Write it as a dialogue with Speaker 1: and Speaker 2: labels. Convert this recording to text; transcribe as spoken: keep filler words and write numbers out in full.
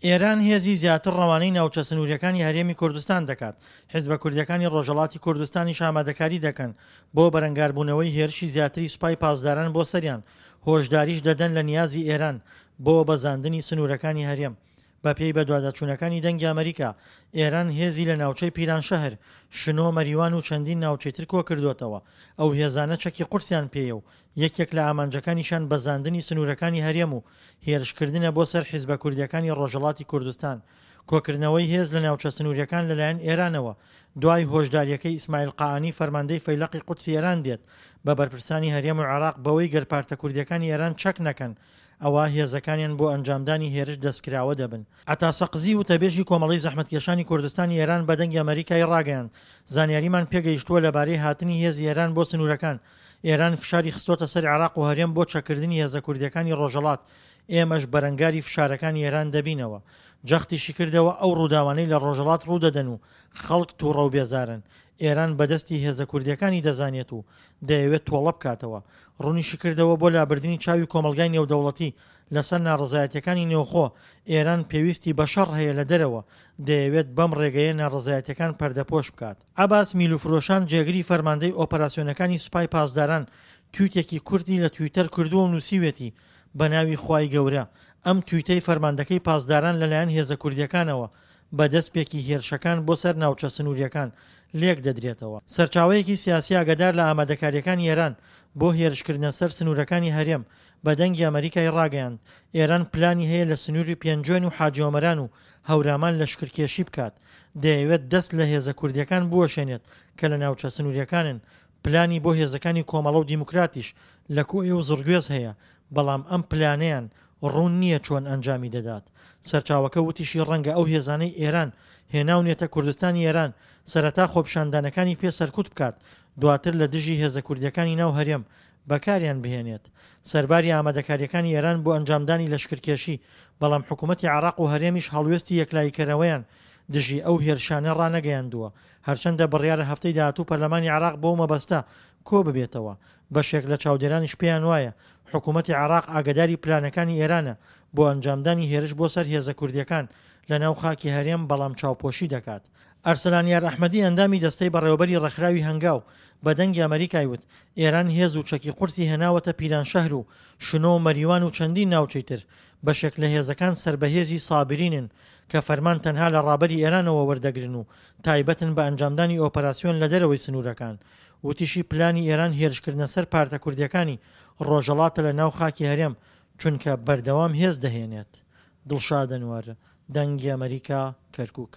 Speaker 1: ئێران هێزی زیاتر ڕەوانەی ناوچە سنووریەکانی هەرێمی کوردستان دەکات، حیزبە کوردیەکانی ڕۆژهەڵاتی کوردستانیش ئامادەکاری دەکەن بۆ بەرەنگاربوونەوەی هێرشی زیاتری سوپای پاسداران بۆ سەریان، هۆشداریش دەدەن لە نیازی ئێران بۆ بەزاندنی سنوورەکانی هەرێم. بەپێی بەدواداچوونەکانی دەنگی ئەمەریکا، ئێران هێزی لە ناوچەی پیرانشەهر، شنۆ، مەریوان و چەندین ناوچەی تر کۆکردۆتەوە، ئەو هێزانە چەکی قورسیان پێیە و یەکێک لە ئامانجەکانیشیان بەزاندنی سنوورەکانی هەرێم و هێرشکردنە بۆ سەر حیزبە کوردیەکانی ڕۆژهەڵاتی کوردستان. کۆکردنەوەی هێز لە ناوچە سنووریەکان لەلایەن ئێرانەوە دوای هۆشداریەکەی ئیسماعیل قائانی فەرماندەی فەیلەقی قودسی ئێران دێت بە بەرپرسانی هەرێم و عێراق بەوەی گەر پارتە کوردیەکانی ئێران چەک نەکەن ئەوا هێزەکانیان بۆ ئەنجامدانی هێرش دەستکراوە دەبن. عەتا سەقزی وتەبێژی کۆمەڵەی زەحمەتکێشانی کوردستانی ئێران بە دەنگی ئەمەریکای ڕاگەیاند، زانیاریمان پێگەیشتووە لەبارەی هاتنی هێزی ئێران بۆ سنوورەکان، ئێران فشاری خستۆتە سەر عێراق و هەرێم بۆ چەککردنی هێزە کوردیەکانی ڕۆژهەڵات، ئێمەش بەرەنگاری فشارەکانی ئێران دەبینەوە. جەختیشی کردەوە ئەو ڕووداوانەی لە ڕۆژهەڵات ڕوودەدەن و خەڵک توڕە و بێزارن، ئێران بەدەستی هێزە کوردیەکانی دەزانێت و دەیەوێت تۆڵە بکاتەوە. ڕوونیشیکردەوە بۆ لابردنی چاوی کۆمەڵگای نێودەوڵەتی لەسەر ناڕەزایەتیەکانی نێوخۆ، ئێران پێویستی بە شەڕ هەیە لە دەرەوە، دەیەوێت بەم ڕێگەیە ناڕەزایەتیەکان پەردەپۆش بکات. عەباس میلوفرۆشان جێگری فەرماندەی ئۆپەراسیۆنەکانی سوپای پاسداران تویتێکی کورتی لە تویتەر کردووە و نووسیوێتی بەناوی خوای گەورە. ئەم تویتەی فەرماندەکەی پاسداران لەلایەن هێزە کوردیەکانەوە بە دەستپێکی هێرشەکان بۆ سەر ناوچە سنووریەکان لێک دەدرێتەوە. سەرچاوەیەکی سیاسی ئاگادار لە ئامادەکارییەکانی ئێران بۆ هێرشکردنە سەر سنوورەکانی هەرێم بە دەنگی ئەمەریکای ڕاگەیاند، ئێران پلانی هەیە لە سنووری پێنجوێن و حاجی ئۆمەران و هەورامان لەشکرکێشی بکات، دەیەوێت دەست لە هێزە کوردییەکان بوەشێنێت کە لە ناوچە سنوورییەکانن، پلانی بۆ هێزەکانی کۆمەڵە و دیموکراتیش لە کۆیە و زڕگوێز هەیە، بەڵام ئەم پلانەیان ڕوون نییە چۆن ئەنجامی دەدات. سەرچاوەکە وتیشی ڕەنگە ئەو هێزانەی ئێران هێناونێتە کوردستانی ئێران سەرەتا خۆپیشاندانەکانی پێ سەرکوت بکات دواتر لە دژی هێزە کوردیەکانی ناو هەرێم بەکاریان بهێنێت. سەرباری ئامادەکاریەکانی ئێران بۆ ئەنجامدانی لەشکرکێشی بەڵام حکومەتی عێراق و هەرێمیش هەڵوێستی یەکلاییکەرەوەیان دژی ئەو هێرشانە ڕانەگەیاندووە هەرچەندە بڕیارە هەفتەی داهاتوو پەرلەمانی عێراق بەو مەبەستە کۆببێتەوە. بەشێک لە چاودێرانیش پێیان وایە حکومەتی عێراق ئاگەداری پلانەکانی ئێرانە بۆ ئەنجامدانی هێرش بۆ سەر هێزە کوردیەکان لە ناو خاکی هەرێم بەڵام چاوپۆشی دەکات. ئەرسەلان یار ئەحمەدی ئەندامی دەستەی بەڕێوەبەری ڕێکخراوی هەنگاو بە دەنگی ئەمەریکای وت ئێران هێز و چەکی قورسی هێناوەتە پیرانشەهر و شنۆ و مەریوان و چەندین ناوچەی تر، بەشێک لە هێزەکان سەر بە هێزی سابرینن کە فەرمان تەنها لە ڕابەری ئێرانەوە وەردەگرن و تایبەتن بە ئەنجامدانی ئۆپەراسیۆن لە دەرەوەی سنوورەکان. وتیشی پلانی ئێران هێرشکردنە سەر پارتە کوردیەکانی ڕۆژهەڵاتە لە ناو خاکی هەرێم چونکە بەردەوام هێز دەهێنێت. دڵشاد ئەنوەر، دەنگی ئەمەریکا، کەرکوک.